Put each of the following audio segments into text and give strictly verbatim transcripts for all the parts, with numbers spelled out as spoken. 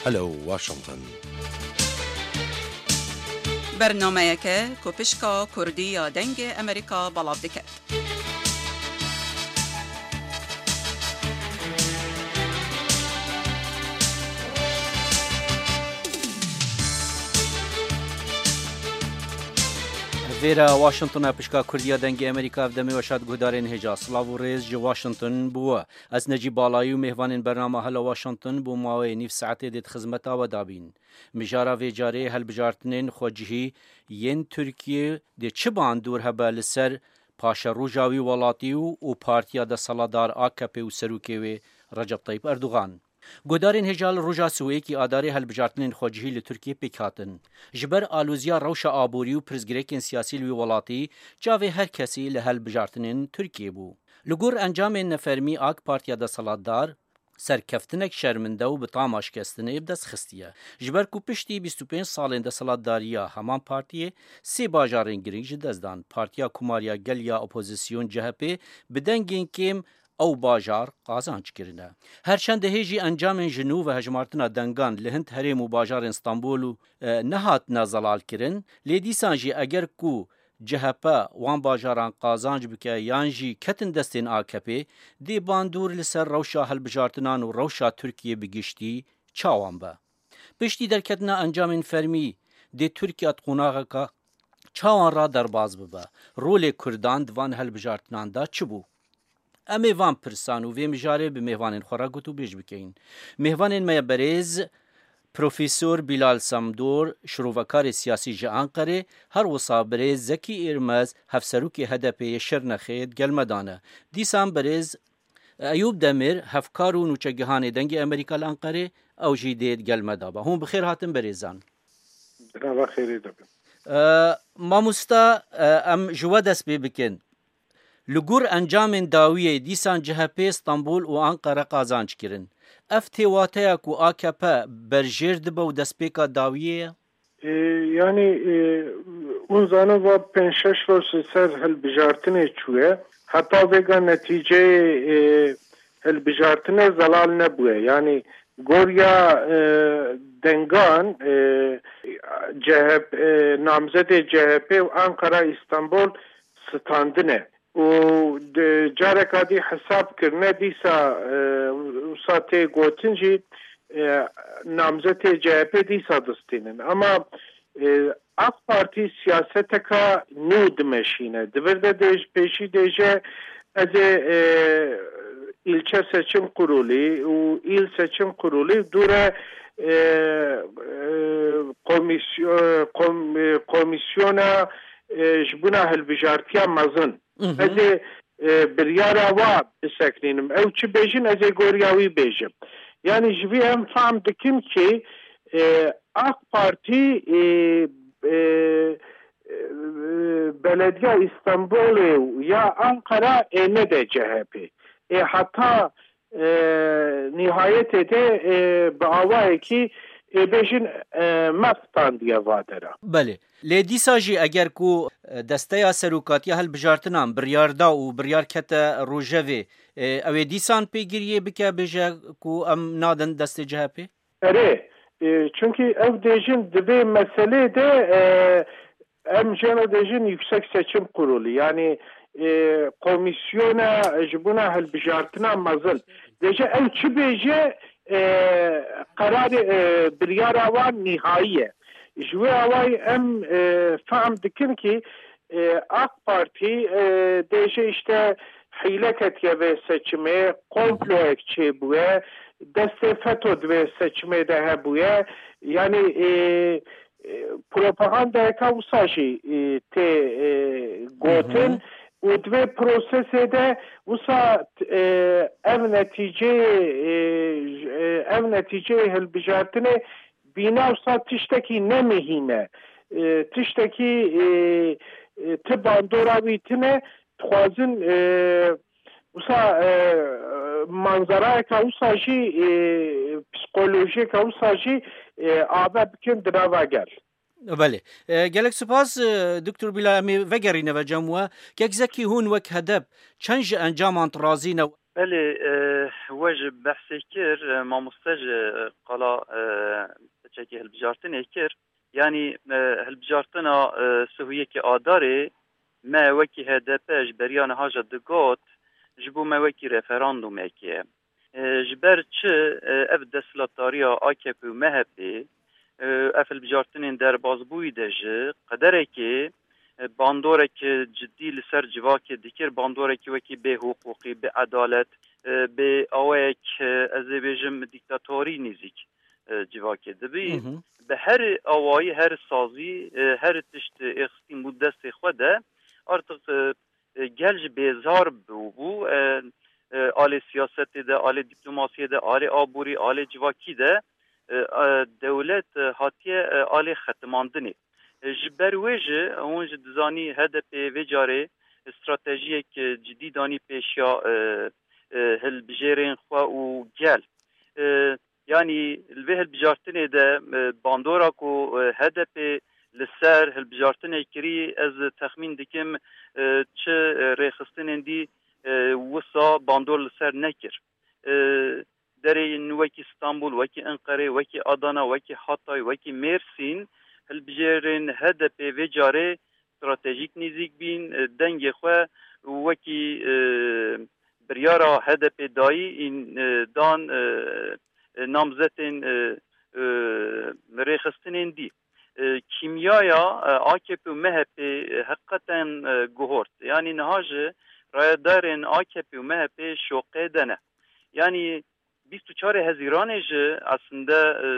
Hello Washington. Bernameyeke ku pişka Kurdî ya Dengê Amerîka belav dike. Vêre Washington e, pişka Kurdî ya Dengê Amerîka, ev demê we şad guhdarên hêja. Silav û rêz ji Washington bi we. Ez Necîb Balayî û mêvanên bernama Hello Washington bo maweyê nîv saetê dê di xizmeta we de bîn. Mijara vê carê helbijartinên xwecihî yên Tirkiyê dê çi bandor hebe li ser paşeroja wî welatî û, û partiya desthilatdar A K P û serokê wê Recep Tayyip Erdogan. Guhdarên hêja, li roja sibê yekê Adarê helbijartinên xwecihî li Tirkiyê pêk hatin. Ji ber aloziya rewşa aborî û pirsgirêkên siyasî li wî welatî, çavê her kesî li helbijartinên Tirkiyê bû. Li gor encamên nefermî, A K P, partiya desthilatdar, serkeftinek şerminde û bi tama şikestinê bi dest xistiye. Ji ber ku piştî bîst û pênc salên desthilatdariya heman partiyê sê bajarên girîng ji dest dan, Partiya Komar ya Gel ya Opozisyon, C H P, bi dengên kêm ew bajar qazanc kirine. Her çend dihê jî encamên ji nû ve hejmartina dengan li hin herêm û bajarên Stenbol û, e, nehatine zelalkirin, lê dîsan jî eger ku C H P wan bajaran qazanc bike yan jî ketin destên A K P, dê bandor li ser rewşa hilbijartinan û rewşa Tirkiyê bi giştî çawan be. Piştî derketina encamên fermî, dê Tirkiye di qonaxeke çawan re derbas bibe? Rolê Kurdan di van hilbijartinan de çi bû? Em ê van pirsan û vê mijarê bi mêvanên xwe re gotûbêj bikeyin. Mêvanên me ye berêz Profesor Bilal Samdor, şirovekarê siyasî ji Anqerê, her wisa birêz Zekî Êrmez, hevserokê H D P yê Şirnexê, di gel me de ne. Dîsan birêz Eyûp Demir, hevkar û nûçegihanê Dengê Amerîka li Anqerê, ew jî dê di gel me de be. Hûn bi xêr hatin berêzan. Bi nava xêrê de bin. E, mamosta, e, em ji we dest pê bikin. Li gor encamên dawiyê dîsan C H P Stenbol û Anqere qazanc kirin. Ev tê wateya ku A K P berjêr dibe û destpêka dawiyê ye? E, yanî, e, hûn zanin va pênc şeş roj li ser hilbijartinê çûye. Heta vêga netîceyê, e, hilbijartinê zelal nebûye. Yanî goriya, e, dengan, e, C H P, e, namzedê C H P û Ankara Îstanbul standine. Û di careka dî hesab kirine, dîsa, e, wisa tê gotin jî, e, namzetê C H P dîsa distînin. Ama, e, A K Partî siyaseteka nû dimeşîne. Di vir de dê ji pêşî dê jî ez ê, e, îlçe seçim kurulî û îl seçim kurulî dûre, e, e, komisyo-, kom-, e, komîsyona, e, ji bona hilbijartiya mezin. Mhm. Ez ê, e, biryara wa biseknînim. Ew çi bêjin, ez ê goriya wî bêjim. Yanî ji vî em fehm dikin ki, e, A K Partî, e, e, e, Belediya Îstanbulê ya Ankara ê nede C H P. Ê heta, e, nihayetê de, e, bi awayekî, ê bêjin, e, me xitandiye va dera. Belê. Lê dîsa jî eger ku, e, desteya serokatiya hilbijartinan biryar da û biryar kete rojevê, e, ew ê dîsan pêgiriyê bike, bêje ku em nadin destê C H P? Erê, e, çunkî ev dêjin di vê meselê de, e, em jê re dêjin Yüksek Seçim Kurulu, yanî, e, komîsyona ji bona hilbijartina mezin. Dêje ew çi bêje, e, qerarê, e, biryara wan nihayî ye. Ji wê awayî em, e, fehm dikin ki, e, A K Partî, e, dêje işte hîle ketiye vê seçimê, komployek çêbûye, destê feto di vê seçimê de hebûye. Yanî, e, e, propagandayeka wisa jî, e, tê, e, gotin. Hı hı. Û di vê prosesê de wisa, e, ev netîceyê, e, j-, e, ev netîceyê hilbijartinê bîna wisa tiştekî ne mihîm e. E, tiştekî, e, e, ti bandora wî tine, dixwazin, e, wisa, e, manzarayeka wisa jî, e, psikolojiyeka wisa jî, e, ave bikin di nava gel. Belê. E, gelek spas, e, Doktor Bila, em ê vegerîne ve cem we. Kek Zekî, hûn wek hedef çend ji encaman razî ne? Belê, e, We ji behsê kir, e, mamoste ji qala, e, piçekî hilbijartinê kir. Yanî, e, hilbijartina, e, sihûyekê Adarê me wekî H D P ji beriya niha jî digot, ji bo me wekî referandûmekê ye. E, ji ber çi, e, ev desthilatdariya A K P û M H P, e, ev hilbijartinên derbazbûyî de ji qederekê, e, bandorek cidî li ser civakê dikir, bandorekî wekî bêhiqûqî, bêedalet, e, bê awayek, e, ez ê bêjim dîktatorî nêzîk, e, civakê dibî. Hı hı. Bi her awayî, her sazî, e, her tişt êxistîn bû destê xwe de, artık, e, e, gel jî bêzar bûbû. E, e, alê siyasetê de, alê dîplomasiyê de, alê aborî, alê civakî de, e, e, dewlet, e, hatiye, e, alê xetimandinê. E, ji ber wê jî hûn jî dizanî H D P vê carê stratejiyek, e, cidî danî pêşiya, e, e, hilbijêrên xwe û gel. E, Yanî li vê hilbijartinê de, e, bandora ku, e, H D P li ser hilbijartinê kirî, ez texmîn dikim, e, çi, e, rêxistinên dî, e, wisa bandor li ser nekir. E, Derên wekî Stenbul, wekî Enqerê, wekî Adana, wekî Hatay, wekî Mêrsîn, hilbijêrên H D P vê carê stratejîk nêzîk bîn, e, dengê xwe wekî, e, biryara H D P dayî, în, e, dan, e, e, namzetên, e, e, rêxistinên dî. E, kîmyaya, e, A K P û M H P, e, heqeten, e, guhort. Yanî niha jî rayedarên A K P û M H P şoqê de ne. Yanî bîst û çarê Hezîranê jî aslinde, e,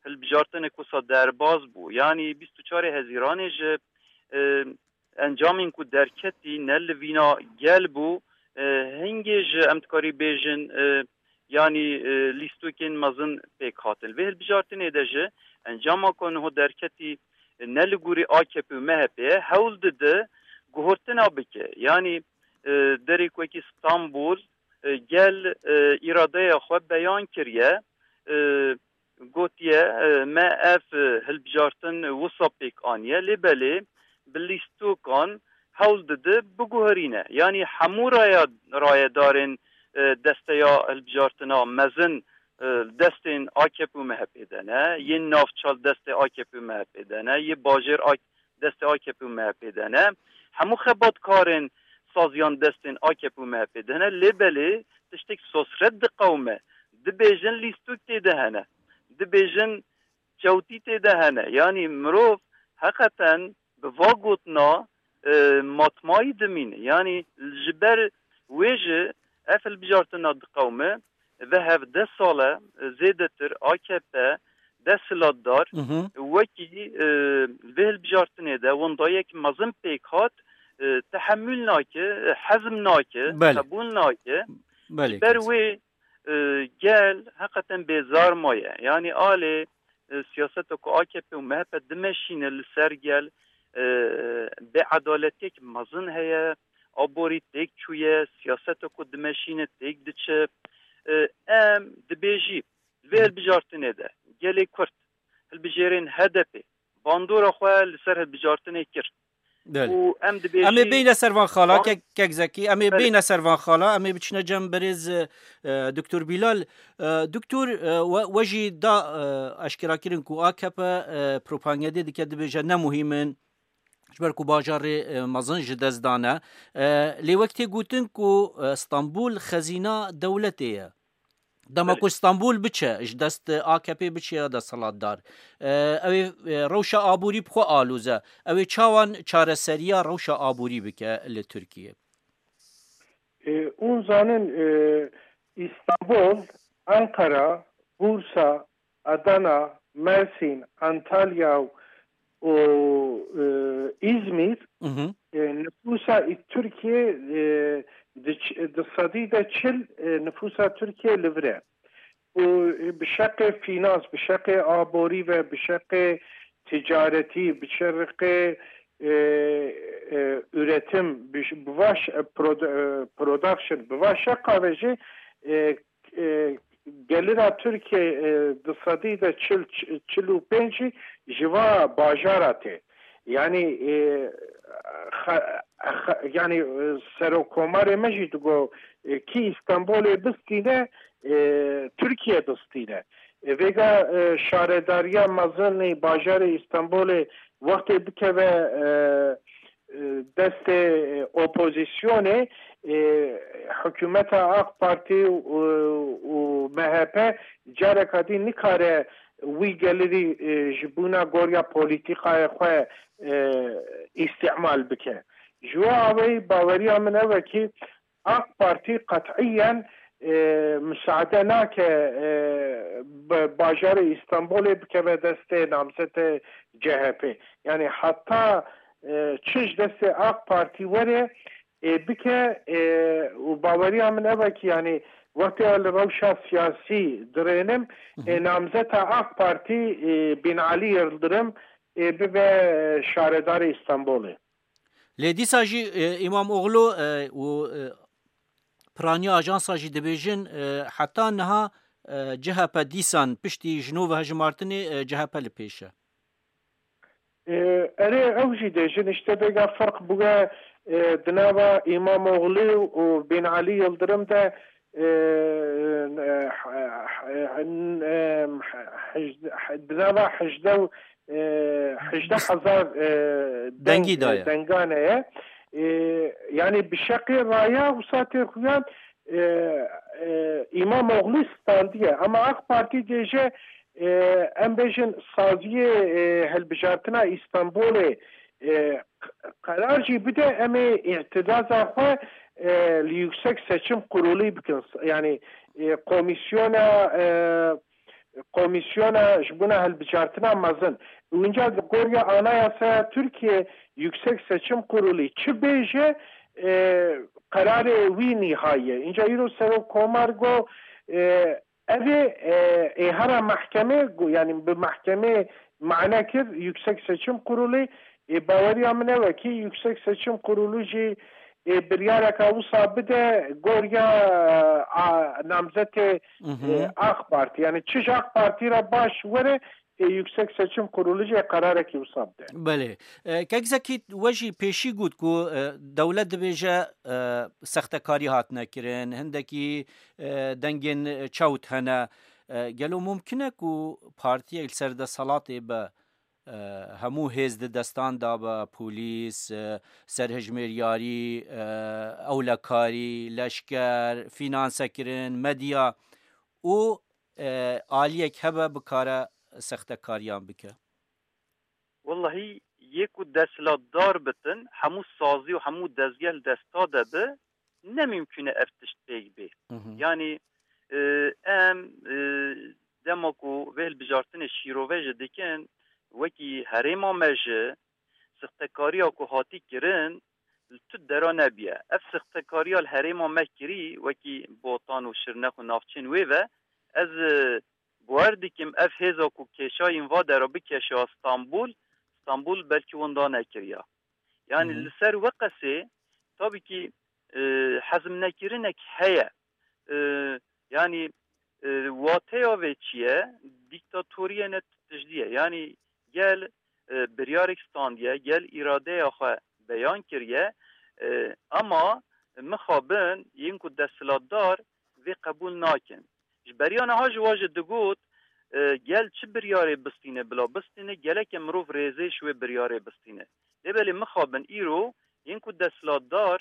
hilbijartinek wisa derbaz bû. Yanî bîst û çarê Hezîranê jî, e, encamên ku derketî ne li vîna gel bû, e, hingê jî em dikarî bêjin, e, yanî, e, lîstokên mezin pêk hatin. Vê hilbijartinê de jî encama ku niho derketî, e, ne li gorî A K P û M H P ye, hewl dide guhortina bike. Yanî, e, derê ku wekî Stenbul, e, gel, e, îradeya xwe beyan kiriye, e, gotiye, e, me ev, e, hilbijartin wisa pêk aniye, lê belê bi lîstokan hewl dide biguherîne. Yanî hemû raya-, rayedarên, e, desteya hilbijartina mezin, e, destên A K P û M H P de ne, yên navçal destê A K P û M H P de ne, yê bajêr A-, destê A K P û M H P de ne. Hemû xebatkarên saziyan destên A K P û M H P de ne. Lê belê tiştek sosret diqewime. Dibêjin lîstok tê de hene. Dibêjin çewtî tê de hene. Yanî mirov heqeten bi va gotina, e, matmayî dimîne. Yanî ji ber wê jî ev hilbijartina diqewime. Ve hevdeh sal e, e, zêdetir A K P desthilatdar Hı hı. wekî, e, vê hilbijartinê de wendayek mezin pêk hat, e, tehemûl nake, e, hezm nake, Belê. qebûl nake. Belê, Ji ber kes. wê, e, gel heqeten bêzar maye. Yanî alê, e, siyaseta ku A K P û M H P dimeşîne li ser gel, e, bêedaletiyek mezin heye, aborî têk çûye, siyaseta ku dimeşîne têk diçe. E, em dibêjî, li vê Hı. hilbijartinê de gelê Kurd, hilbijêrên H D P, bandora xwe li ser hilbijartinê kir. Belê. Û em dibêjî Em ê bêyne ser van xala, Van kek, kek zekî, em ê Belê. bêyne ser van xala, em ê biçine cem birêz, e, e, Doktor Bilal. E, Doktor, e, we, we jî da, e, eşkerakirin ku A K P, e, propagandê dike dibêje ne muhîm in, ji ber ku bajarê, e, mezin ji dest dane. E, lê wek tê gotin ku, e, Stenbul xezîna dewletê ye. Dema Belê. ku Stenbul biçe, ji dest A K P biçe ya desthilatdar, e, ew ê, e, rewşa aborî bi xwe aloze. Ew ê çawan çareseriya rewşa aborî bike li Tirkiye? E, hûn zanin, e, Îstanbul, Ankara, Bursa, Adana, Mersin, Antalya û, e, Îzmîr, Hı hı. e, nüfusa Tirkiye, e, di ç-, di sedî de çil, e, nüfusa Tirkiye li vir e. Û bi şeqê fînans, bi şeqê aborî ve, bi şeqê ticaretî, bi şeqê, e, e, üretim, bi, bi vaş, e, produ-, e, production, bi vaş şeqa ve jî, e, e, gelira Tirkiye, e, di sedî de çil, çil û pênc jî ji va bajara tê. Yanî, e, Xe- xe- yanî, e, serokkomarê me jî digo, e, kî Îstanbulê bistîne, e, Tirkiye bistîne. E, vêga, e, şaredariya mezinî bajarê Îstanbulê wextê bikeve, e, e, destê, e, opozisyonê, e, hikûmeta AK Partî û, û M H P careka dî nikare wî gelirî, e, ji bona goriya polîtîkaya xwe, e, îstîmal bike. Ji wê awayî baweriya min ew e kî AK Partî qet'iyen, e, misaade nake, e, bi bajarê Îstanbulê bikeve destê namzetê C H P. Yanî heta, e, çi ji destê AK Partî were, ê bike, ê, û baweriya min ev e ki, yanî, wextê li rewşa siyasî dirênim, ê, namzeta AK Partî, ê, Binalî Yildirim, ê, bibe şaredarê Îstanbulê. Lê dîsa jî, e, Îmamoğlu, e, û, e, piraniya ajansa jî dibêjin, e, heta niha, e, C H P dîsan piştî ji nû ve hejmartinê, e, C H P li pêş e. E, erê, ew jî dê jin işte vêga ferq bûye, e, di nava Îmamoğlu û Binalî Yildirim de, e, e, e, e, hej- di nava hejdeh û, e, hejdeh hezar, e, deng- Dengî daye. Dengane ye. E, yanî bi şeqê raya wisa tê xuyan, e, e, Îmamoğlu standiye. Ama AK Partî dêje, e, em bêjin saziyê, e, hilbijartina Îstanbulê, e, q- qerar jî bide, em ê îtidaza xwe, e, li Yüksek Seçim Kurulu bikin. Yanî, e, komîsyona, e, komîsyona ji bona hilbijartina mezin. Winca di goriya Anayasaya Tirkiye Yüksek Seçim Kurulu çi bêje, e, qerarê wî nîhayî ye. Înca îro serokkomar got, e, ev ê, e, ê here mehkemê, got, yanî bi mehkemê mane kir, Yüksek Seçim Kurulu, ê, baweriya min ew e ki Yüksek Seçim Kurulu jî, ê, biryareka wisa bide goriya, a, namzetê, ê, AK Parti. Yanî çi ji AK Parti re baş were, ê, Yüksek Seçim Kurulu jî qerarekî wisa bide. Belê. E, Kek Zekî, we jî pêşî got ku, e, dewlet dibêje, e, sextekarî hatine kirin, hindekî, e, dengên çewt hene. E, gelo mumkin e ku partiyek li ser desthilatê be, e, hemû hêz di destan de be, polîs, e, serhejmêryarî, e, ewlekarî, leşker, fînansekirin, medya û, e, aliyek hebe bikare sextekariyan bike? Wellahî, yê ku desthilatdar bitin, hemû sazî û hemû dezgeh li desta de bi, ne mimkûn e ev tişt pêk bê. Yanî, e, em, e, dema ku vê hilbijartinê şîrove jî dikin, wekî herêma me jî sixtekariya ku hatî kirin, li tu dera nebiye. Ev sixtekariya li herêma me kirî, wekî Botan û Şirnex û navçên wê ve, ez, e, bawer dikim ev hêza ku kêşayîn va dera bikeşa Stenbul, Stenbul belkî winda nekiriya. Yanî li ser we qesê, tabî kî, e, hezmnekirinek heye. E, yanî, e, wateya vê çi ye? Dîktatoriyê ne tiştî ye. Yanî gel, e, biryarek standiye, gel îradeya xwe beyan kiriye. E, ema mixabin yên ku desthilatdar vê qebûl nakin. Ji beriya niha ji wa jî digot, e, gel çi biryarê bistîne, bila bistîne, geleke mirov rêzê ji wê biryarê bistîne. Lê belê mixabin îro yên ku desthilatdar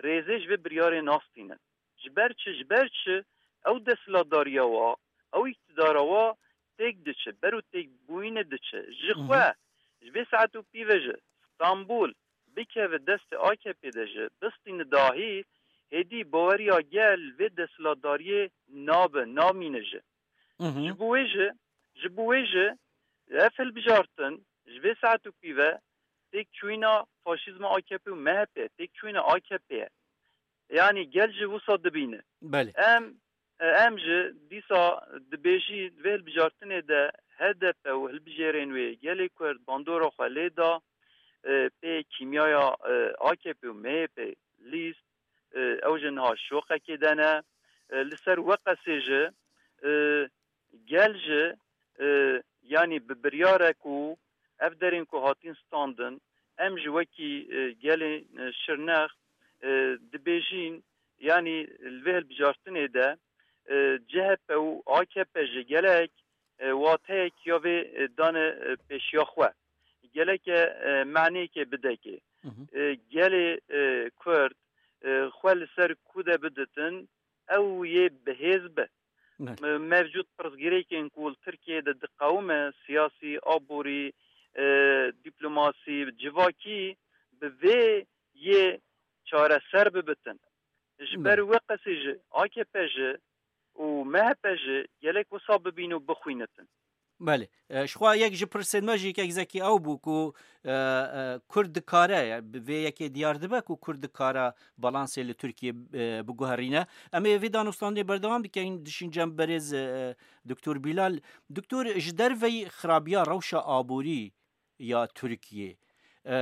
rêzê ji vê biryarê nastînin. Ji ber çi? Ji ber çi? Ew desthilatdariya wa, ew îktidara wa têk diçe, ber û têk bûyînê diçe. Ji xwe, ji vê saet û pî ve jî Stenbul bikeve destê A K P de jî, bistîne dahî, hêdî baweriya gel vê desthilatdariyê nabe, namîne jî. Ji bo wê jî, ji bo wê jî ev hilbijartin ji vê saet û pî ve têkçûyîna faşîzma A K P û M H P, têkçûyîna A K P ye. Yanî gel jî wisa dibîne. Belê. Em, em jî dîsa dibêjî vê hilbijartinê de H D P û hilbijêrên wê gelê Kurd bandora xwe lê da, e, pê kîmyaya, e, A K P û M H P lîst, e, ew jî niha şoqekê de ne. E, li ser we qesê jî, e, gel jî, e, yanî bi biryare ku ev derên ku hatin standin, em ji wekî, e, gelê, e, Şirnex, e, dibêjîn, yanî li vê hilbijartinê de, e, C H P û A K P ji gelek, e, wateyek ya vê, e, dane, e, pêşiya xwe. Geleke, e, maneyeke bidekê. Hı hı. E, gelê, e, Kurd, e, xwe li ser ku de biditin, ew yê bihêz be. Ne. Me-, mevcut pirsgirêkên ku li Tirkiyeyê de diqewime, siyasî, aborî, e, dîplomasî, civakî bi vê yê çareser bibitin. Ji ber Ne. wê qesî ji A K P ji û M H P ji gelek wisa bibîn û bixwînitin. Belê. E, ji xwe yek ji pirsên me jî yekek zekî ew bû ku, e, e, Kurd dikare, ya, bi vê yekê diyar dibe ku Kurd dikare balansê li Tirkiyê, e, biguherîne. Em ê vê danûstandinê berdewam bikin, dişîn cem berêz, e, Doktor Bilal. Doktor, ji derveyî xirabiya rewşa aborî ya Tirkiyê, e,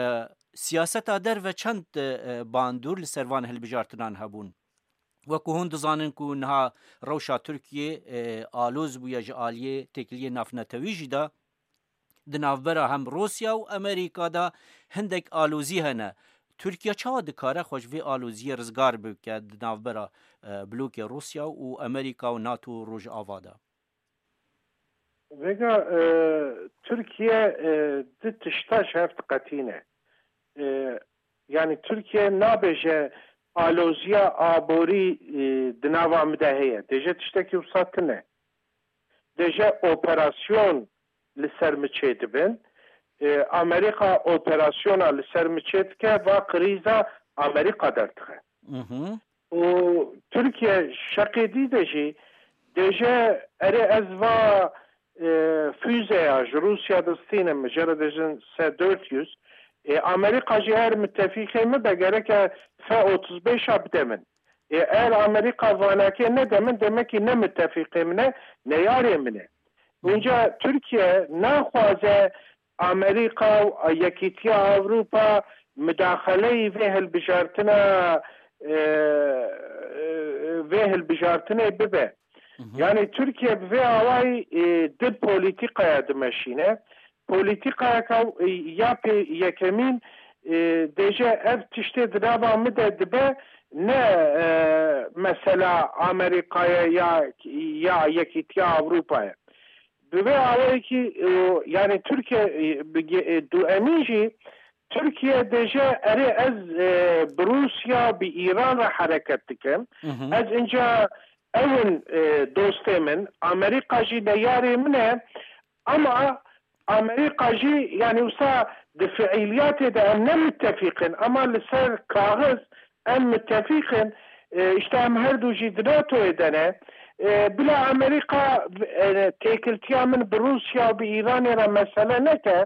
siyaseta derve çend, e, bandor li ser van hilbijartinan hebûn? Wekî hûn dizanin ku niha rewşa Tirkiyê, e, aloz bûye ji aliyê têkiliyê navnetewî jî de, di navbera hem Rûsya û Amerîka de hindek alozî hene. Tirkiye çawa dikare xwe ji vê aloziyê rizgar bike di navbera, e, blokê Rûsya û Amerîka û NATO Rojava de? Vêga, e, Tirkiye, e, du tişta ji hev diqetîne. E, yanî Tirkiye nabêje aloziya aborî, e, di nava min de heye. Dêje tiştekî wisa tune. Dêje operasyon li ser min çêdibin. E, Amerîka operasyona li ser min çêdike, va krîza Amerîka derdixe. Mhm. Û Tirkiye şeqê dî de jî dêje, erê ez va, e, füzeya ji Rûsya distînim, ji re dêjin S dört yüz. E, Amerîka jî her mitefîqê min be gereke F otuz beş a bide min. E, eğer Amerîka vanakê nede min, demekî ne mitefîqê min e, ne yarê min e. Hı. Înca Tirkiye naxwaze Amerîka û Yekîtiya Ewropa mudaxeleyî vê hilbijartina, e, e, vê hilbijartinê bibe. Hı hı. Yanî Tirkiye bi vê awayî, e, di polîtîkaya dimeşîne. Polîtîkayeka, e, ya pê yekemîn, e, dêje ev tiştê di nava min de dibe, ne, e, mesela Amerîkaya ya, ya Yekîtiya Ewropa ye. Bi vê awayekî, e, yanî Tirkiye, e, bi ge-, e, duemîn jî Tirkiye dêje, erê ez, e, bi Rûsya, bi Îran re hereket dikim. Hı hı. Ez inca ew in, e, dostê min, Amerîka jî neyarê min e, ama Amerîka jî, yanî wisa di fiîliyatê de em ne mitefîq in, ama li ser kaxiz em mitefîq in. E, işte em her du jî di NATOyê de ne. E, bila Amerîka, e, têkiltiya min bi Rûsya û bi Îranê re mesele neke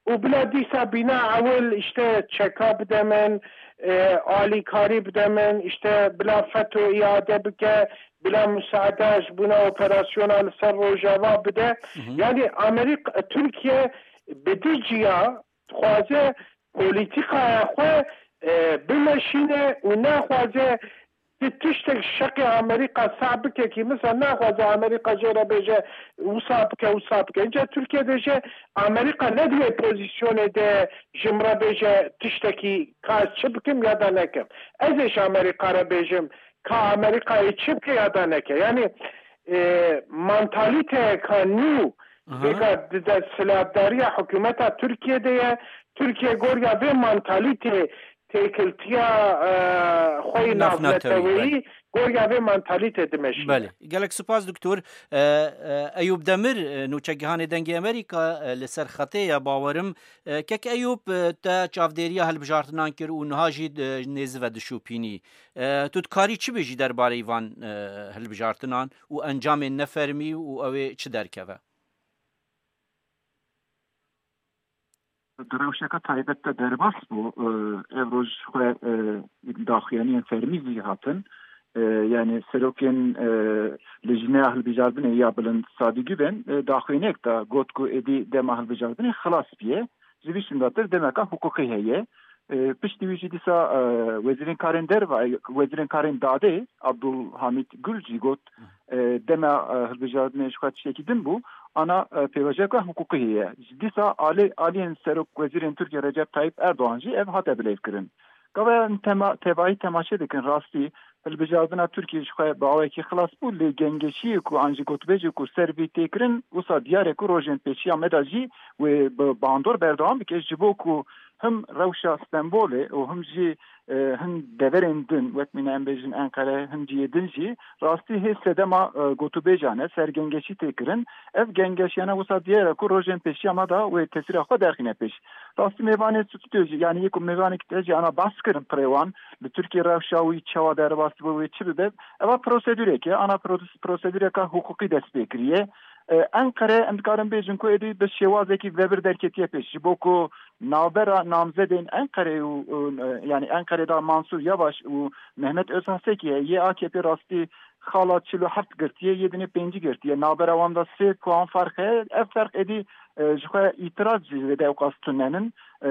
û bila dîsa bîna ewil işte çeka bide min, e, alîkarî bide min, işte bila FETÖ îade bike, bila musaade ji bona operasyona li ser Rojava bide. Hı hı. Yanî Amerîka, Tirkiye bi du ciya dixwaze polîtîkaya xwe, e, bimeşîne û naxwaze ti tiştek şeqê Amerîka sah bike kî, misal naxwaze Amerîka jê re bêje wisa bike, wisa bike. Înca Tirkiye dêje Amerîka ne di wê pozîsyonê de ji min re bêje tiştekî ka ez çi bikim ya da nekim. Ez ê ji Amerîka re bêjim ka Amerîkayê çi bike ya da neke. Yanî, e, mantalîteyeka nû Aha. Vêga di desthilatdariya hikûmeta Tirkiyê de ye. Tirkiye goriya vê mantalîtê têkiltiya, e, xwe yî Navnetewî, navneteweyî, belê. Goriya vê mantalîtê dimeşîne. Belê. Gelek spas, doktor. E, e, Eyûp Demir, e, nûçegihanê Dengê Amerîka, e, li ser xetê ye, bawerim. E, kek Eyûp, e, te çavdêriya hilbijartinan kir û niha jî, e, nêzive dişopînî. E, tu dikarî çi bêjî derbarê van, e, hilbijartinan û encamên nefermî û ew ê çi derkeve? Di rewşeke taybet de derbas bû. E, ev roj xwe, e, daxuyaniyên fermî zî hatin. E, yani serokên, e, Lijneya Hilbijardinê ya Bilind Sadî Guven, e, daxuyaniyek da, got ku êdî dema hilbijardinê xilas bûye. Ji vî şindatir demeka hiqûqî heye. E, piştî wî jî dîsa, e, wezîrên karên derve, e, wezîrên karên dadê Abdulhamît Gül jî got, e, dema, e, hilbijartinê ji xwe tiştekî din bû, ana, e, pêvajoyeka hiqûqî heye. Ji dîsa alê, aliyên serok wezîrên Tirkiye Recep Tayyip Erdogan jî ev hate bilêvkirin. Gava em tema, tevahî temaşe dikin, rastî hilbijartina Tirkiye ji xwe bi awayekî xilas bû, lê gengeşiyê ku an jî gotûbêjê ku ser vî tê kirin, wisa diyar e ku rojên pêşiya me de jî wê bi bandor berdewam bike, ji bo ku him rewşa Stenbolê û him jî, e, hin deverên din, wek mîna em bêjin Enqere, hin cihê din jî, rastî hê sedema, e, gotûbêjan e, ser gengeşî tê kirin. Ev gengeşiyane wisa diyar e ku rojên pêşiya me de wê tesîra xwe derxîne pêş. Rastî mêvanê stûdyo jî, yanî yê ku mêvanekî te jî ana behs kirin pirê wan, li Tirkiye rewşa wî çawa derbas dibe, wê çi bibe, eva prosedûrek e, ana pro-, prosedûreka hiqûqî dest pê kiriye. E, Enqere, em dikarin bêjin ku êdî bi şêwazekî vebir derketiye pêş, ji bo ku navbera namzedên Enqerê û, û, e, yanî Enqerê de Mansur Yavaş û Mehmet Özhaseki heye, yê A K P rastî xala çil û heft girtiye, yê dinê pêncî girtiye. Navbera wan de sê puan ferq heye. Ev ferq êdî, e, ji xwe îtiraz jî zêde ewqas tunenin. E,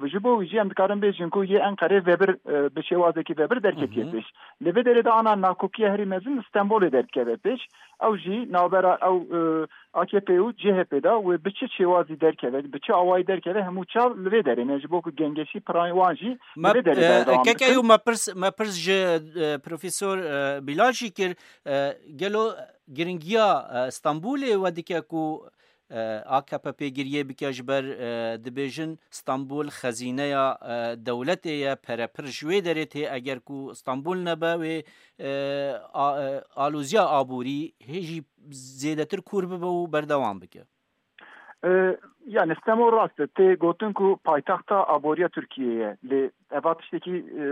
ji bo wî jî em dikarin bêjin ku yê Enqerê vebir, e, bi şêwazekî vebir derketiye pêş. Li vê derê de ana nakokiya herî mezin li Stenbolê derdikeve pêş. Ew jî navbera ew, e, A K P û C H P de wê bi çi şêwazî derkeve, bi çi awayî derkeve, hemû çav li vê derê ne, ji bo ku gengeşî pirayên wan jî li vê derê e, berdewam bikin. Kek Eyûb, me pirs, me pirs ji, e, Profesor, e, Bilal jî kir, e, gelo giringiya, e, Stenbolê we dike ku, e, A K P pêgiriyê bike, ji ber, e, dibêjin Stenbol xezîneya, e, dewletê ye, pere pir ji wê derê tê, eger ku Stenbol nebe wê, e, a, e, aloziya aborî hê jî zêdetir kûr bibe û berdewam bike. E, yani Stenbol rast e, tê gotin ku paytexta aboriya Tirkiyê ye. Lê eva tiştekî, e,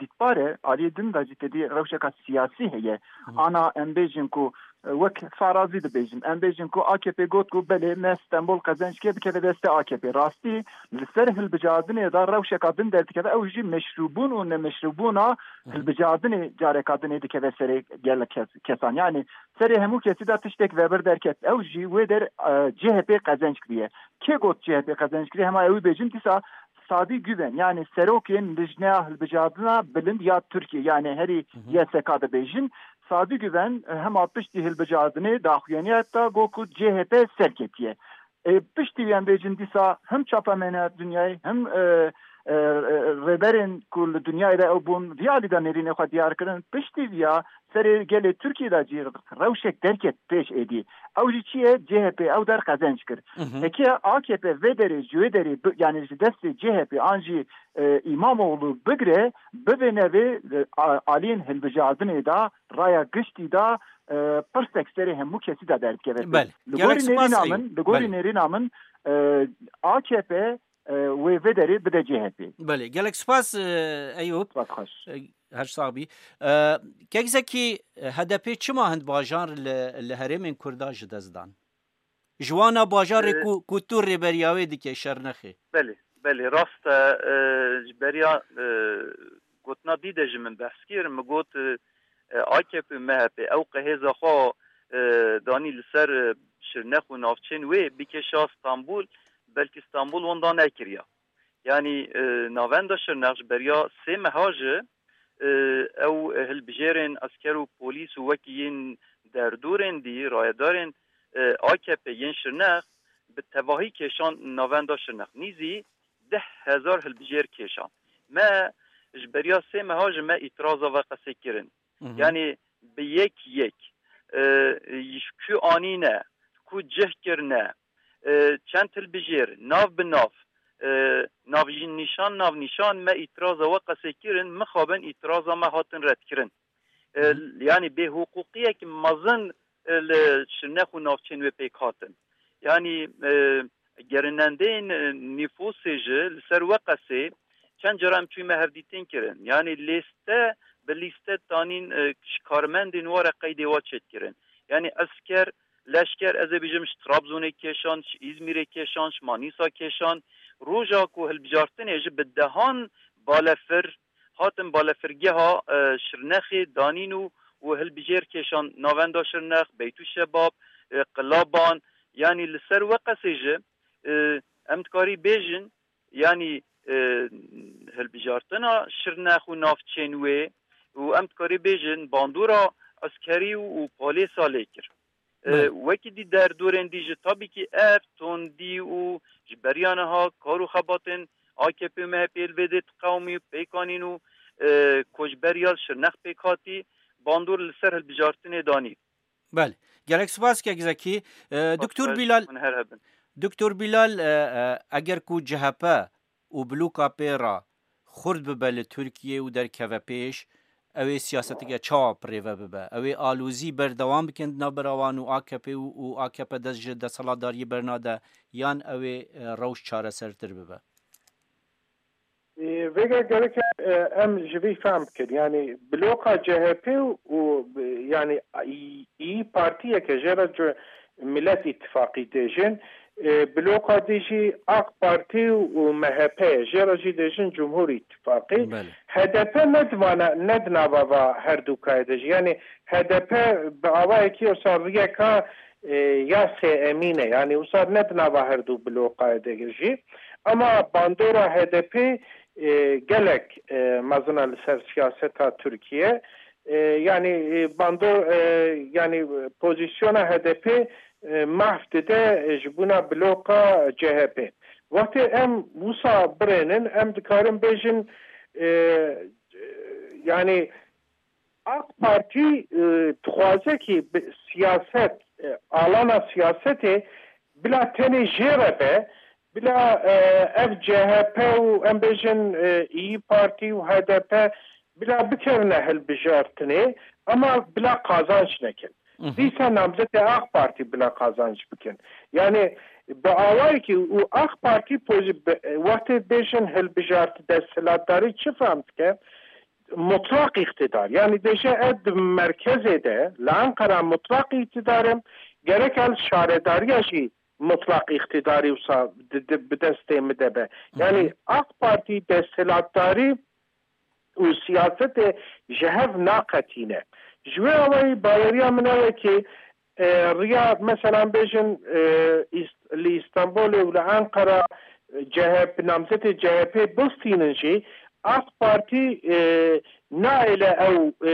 dîtbar e, aliyê din de jî têdî rewşeka siyasî heye. Ana em bêjin ku, e, wek farazî dibêjin, em bêjin ku A K P got ku belê me Stenbol qezenc kir, bikeve destê A K P. Rastî li ser hilbijartinê de rewşeka din derdikeve, ew jî meşrûbûn û nemeşrûbûna hilbijartinê careka dinê dikeve serê gelek kes, kesan. Yani serê hemû kesî de tiştek vebir derket. Ew jî wê der, e, C H P qezenc kiriye. Kê got C H P qezenc kiriye? Hema ew bêjin dîsa Sadî Güven, yani serokên Lijneya Hilbijartina Bilind ya Tirkiye, yani herî Y S K dibêjin. Sadî Güven, e, hema piştî hilbijartinê daxuyaniya da got ku C H P serketiye. E, piştî vî em bêjin dîsa him çapemena dinyayê, him, e, e, e, rêberên ku li dinyayê de ew bûn, vî alî de nêrînê xwe diyar kirin. Piştî vîya serê gelê Tirkiyê de jî rewşek derket pêş êdî. Ew jî çi ye? C H P ew der qezenc kir. Hı hı. Heke A K P vê derê, ji wê derê bi, yani ji destê C H P an jî, e, İmamoğlu bigire, bibêne vê, e, a-, aliyên hilbijartinê de, raya giştî de, e, pirsek serê hemû kesî de derdikeve. Belê. Li gorî nêrîna min, li gorî nêrîna min, e, A K P, e, wê vê derê bide C H P. Belê. Gelek spas, e, Eyûp. Spas xweş. E, her sax bî. E, Kek Zekî, e, H D P çima hind bajar li, li herêmên Kurda ji dest dan? Ji wana bajarê Ee, ku, ku tu rêberiya wê dike, Şirnexê. Belê, belê, rast e. Ee, ji beriya, ee, gotina dî de ji min behs kir. Min got, ee, A K P û M H P ew qehêza xwe, ee, danî li ser, ee, Şirnex û navçên wê bikêşa Stenbol, belkî Stenbol wenda nekiriya. Yanî, e, navenda Şirnex ji beriya sê meha ji, e, ew hilbijêrên esker û polîs û wekî yên derdorên dî, rayedarên, e, A K P yên Şirnex bi tevahî kêşan navenda Şirnex. Nîzî deh hezar hilbijêr kêşan. Me ji beriya sê meha ji me îtiraza ve qesê kirin. Hı hı. Yanî bi yek yek, e, ji ku anîne, ku cih kirine, e, çend hilbijêr, nav bi nav, e, navnîşan, navnîşan me îtiraza we qesê kirin, mixabin îtiraza me hatin redkirin. E, Hı hı. Yanî bêhiqûqiyek mezin, e, li Şirnex û navçên wê pêk hatin. Yanî, e, gerinendeyên, e, nîfûsê ji li ser we qesê çend cara em çûyî me hevdîtin kirin. Yanî lîste bi lîste tanîn, e, ji karmendên we re qeydê we çêdikirin. Yanî esker, leşker, ez ê bêjim ji Trabzonê kêşan, ji Îzmîrê kêşan, ji Manîsa kêşan. Roja ku hilbijartinê ji bi dehan balefir hatin balefirgeha, e, Şirnexê danîn û, û hilbijêr kêşan navenda Şirnex, Beytûşebab, e, Qilaban, yanî li ser we qesê ji, e, em dikarî bêjin, yanî e, hilbijartina Şirnex û navçên wê û em dikarî bêjin bandora eskerî û, û polêsa lê kir. E, Belê. Wekî dî derdorên dî ji tabîkî ev tondî û ji beriya niha kar û xebatên A K P û M H P li vê dê diqewimî û pêk anîn û, e, koçberiya li Şirnex pêk hatî bandor li ser hilbijartinê danî. Belê. Gelek spas kek Zekî. E, Doktor Bilal, hûn her hebin. Doktor Bilal, e, e, eger ku C H P û bloka pê re xurt bibe li Tirkiyê û derkeve pêş, ew ê siyaseteke çawa bi rê ve bibe? Ew ê alozî berdewam bikin di navbera wan û A K P û, û A K P dest ji desthilatdariyê bernade, yan ew ê, e, rewş çaresertir bibe? Ê, vêga gerek e, em ji vî fehm bikin. Yanî bloka C H P û, û, yanî, î, î partiyeke jê re cu-, Millet Îttifaqî dêjin, e, bloka dî jî AK Partî û M H P ye. Jê re jî dêjin Cumhur Îttifaqî. Belê. H D P ne di vana, ne di nava va her du kayê de jî. Yanî H D P bi awayekî wisa riyeka, e, ya sêemîn e. Yanî wisa ne di nava her du blokayê de jî. Ama bandora H D P, e, gelek, e, mezin e li ser siyaseta Tirkiye. E, yanî, e, bandor, e, yanî pozisyona H D P, e, mahf dide, e, ji bona bloka C H P. Wextê em wisa birênin, em dikarin bêjin, e, e, yanî AK Partî, e, dixwaze ki bi siyaset, e, alana siyasetê bila tenê jê re be, bila, e, ev C H P û em bêjin, e, İYİ Partî û H D P bila bikevine hilbijartinê, ama bila qazanç nekin. Hı hı. Dîsa namzetê AK Partî bila qazanç bikin. Yani bi awayekî û AK Partî pozi-, bi, wextê bêjin hilbijart desthilatdarî çi fehm dike? Mutlaq îqtidar. Yani dêje ez di merkezê de, li Enqera mutlaq îqtidar im, gerek ez şaredariya jî mutlaq îqtidarî wisa di, di, bi destê min de be. Yani Hı hı. AK Partî desthilatdarî û siyasetê ji hev naqetîne. Ji wê awayî baweriya min ew e ki, e, riya, meselan, bêjin, e, Îst-, li Îstanbulê û li Enqera, e, C H P, namzetê C H P bistînin jî, AK Partî, e, naêle ew, e,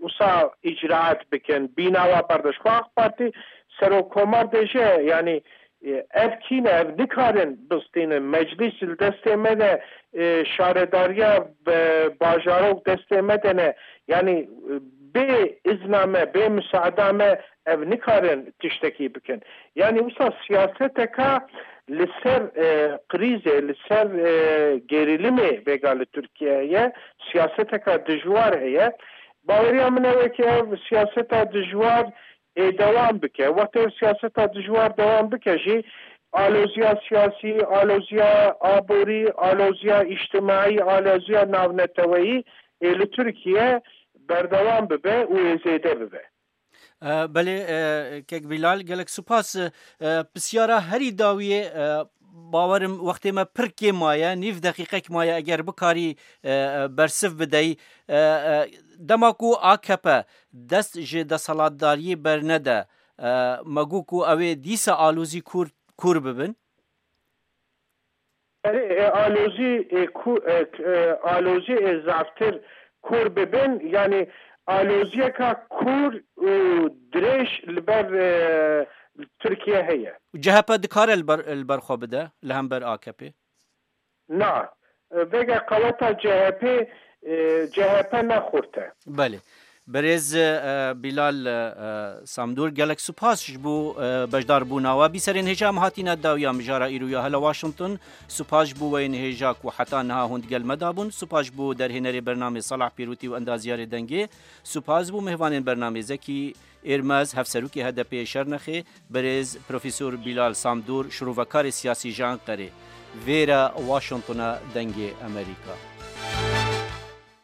wisa îcraat bikin, bînawa berdin. Ji xwe AK Partî serokkomar dêje, yanî, e, ev kî ne, ev nikarin bistînin. Meclîs li destê me de, e, şaredariya, e, bajarok destê me de ne. Yanî, e, bê izna me, bê misaada me ev nikarin tiştekî bikin. Yanî wisa siyaseteka li ser, e, krîzê, li ser, e, gerîlimê vêga li Tirkiye heye, siyaseteka dijwar heye. Baweriya min ew e ki ev siyaseta dijwar ê dewam bike. Wextê ev siyaseta dijwar dewam bike jî, aloziya siyasî, aloziya aborî, aloziya îctimaî, aloziya navneteweyî ê li Tirkiye berdewam bibe û ê zêde bibe. E, belê, e, kek Bilal, gelek spas. E, pisyara herî dawiyê, e, bawerim wextê me pir kêm maye, nîv deqîqek maye, eger bikarî, e, e, bersiv bideyî. E, e, dema ku A K P dest ji desthilatdariyê bernede, e, me got ku ew ê dîsa alozî kûr, kûr bibin? Erê, e, alozî, e, ku, e, k-, e, alozî ê zaftir kûr bibin, yanî aloziyeka kûr û dirêj li ber, e, Tirkiye heye. Û C H P dikare li ber, li ber xwe bide, li hember A K P? Na. E, vêga qeweta C H P, e, C H P ne xurt e. Belê. Birêz, e, Bilal, e, Samdûr, gelek spas ji bo, e, beşdarbûna we. Bîserên hêja em hatîne dawiya mijara îro ya Hela Washington. Spas ji bo we yên hêja ku heta niha hûn digel me de bûn. Spas ji bo derhênerê bernamê Salah Pîrûtî û endaziyarê dengê. Spas ji bo mêvanên bernamê Zekî Êrmez, hevserokê H D P'ê Şernexê, birêz Profesor Bilal Samdûr, şirovekarê siyasî ji Enqerê. Vêre Washingtona Dengê Amerîka.